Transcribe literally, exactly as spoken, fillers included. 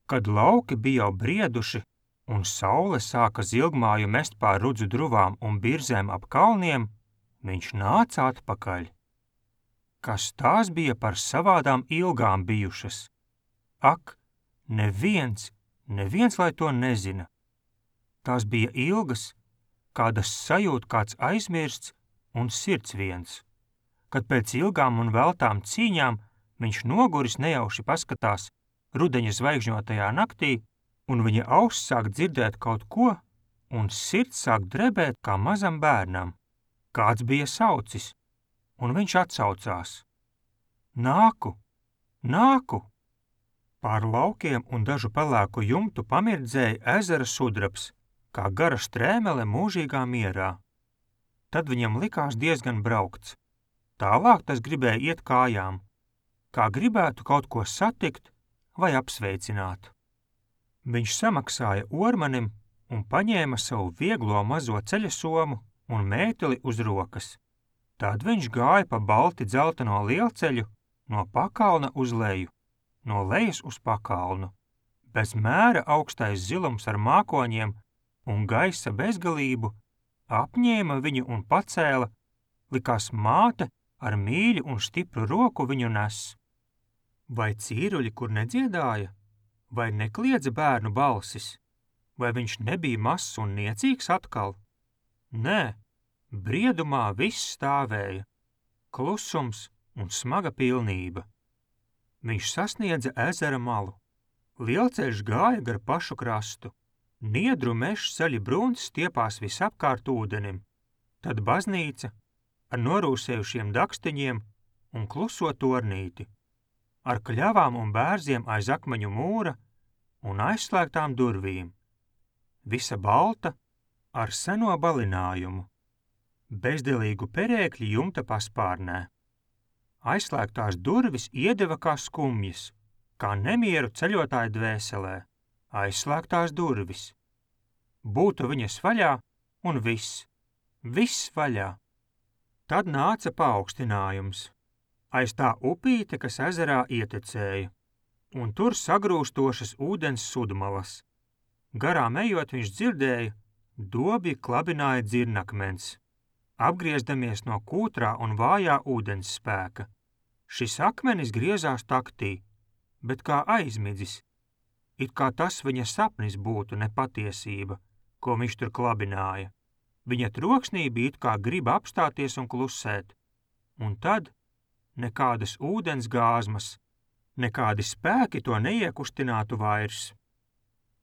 Kad lauki bija jau brieduši un saule sāka zilgmāju mest pār rudzu druvām un birzēm ap kalniem, viņš nāca atpakaļ. Kas tās bija par savādām ilgām bijušas? Ak, neviens, neviens, lai to nezina. Tās bija ilgas, kādas sajūt kāds aizmirsts un sirds viens, kad pēc ilgām un veltām cīņām viņš noguris nejauši paskatās rudeņa zvaigžņotajā naktī, un viņa auss sāk dzirdēt kaut ko, un sirds sāk drebēt kā mazam bērnam. Kāds bija saucis, un viņš atsaucās. Nāku, nāku! Pār laukiem un dažu pelēku jumtu pamirdzēja ezera sudrabs, kā gara strēmele mūžīgā mierā. Tad viņam likās diezgan braukts. Tālāk tas gribēja iet kājām, kā gribētu kaut ko satikt vai apsveicināt. Viņš samaksāja ormanim un paņēma savu vieglo mazo ceļa somu un mēteli uz rokas. Tad viņš gāja pa balti dzelteno lielceļu no pakalna uz leju, no lejas uz pakalnu. Bez mēra augstais zilums ar mākoņiem un gaisa bezgalību apņēma viņu un pacēla, likās māte ar mīļu un stipru roku viņu nes. Vai cīruļi, kur nedziedāja? Vai nekliedza bērnu balsis? Vai viņš nebija mazs un niecīgs atkal? Nē, briedumā viss stāvēja, klusums un smaga pilnība. Viņš sasniedza ezera malu. Lielceļš gāja gar pašu krastu. Niedru mežs zaļi brūns stiepās visapkārt ūdenim. Tad baznīca ar norūsējušiem dakstiņiem un kluso tornīti, ar kļavām un bērziem aiz akmeņu mūra un aizslēgtām durvīm. Visa balta ar seno balinājumu, bezdelīgu perēkļi jumta paspārnē. Aizslēgtās durvis iedeva kā skumjas, kā nemieru ceļotāju dvēselē. Aizslēgtās durvis. Būtu viņas vaļā un viss, viss vaļā. Tad nāca paaugstinājums. Aiz tā upīte, kas ezerā ietekmēja, un tur sagrūstošas ūdens sudmalas. Garām ejot viņš dzirdēja, dobji klabināja dzirnakmens, apgriezdamies no kūtrā un vājā ūdens spēka. Šis akmenis griezās taktī, bet kā aizmidzis, it kā tas viņa sapnis būtu nepatiesība, ko viņš tur klabināja. Viņa troksnī bija it kā grib apstāties un klusēt, un tad nekādas ūdens gāzmas, nekādi spēki to neiekustinātu vairs.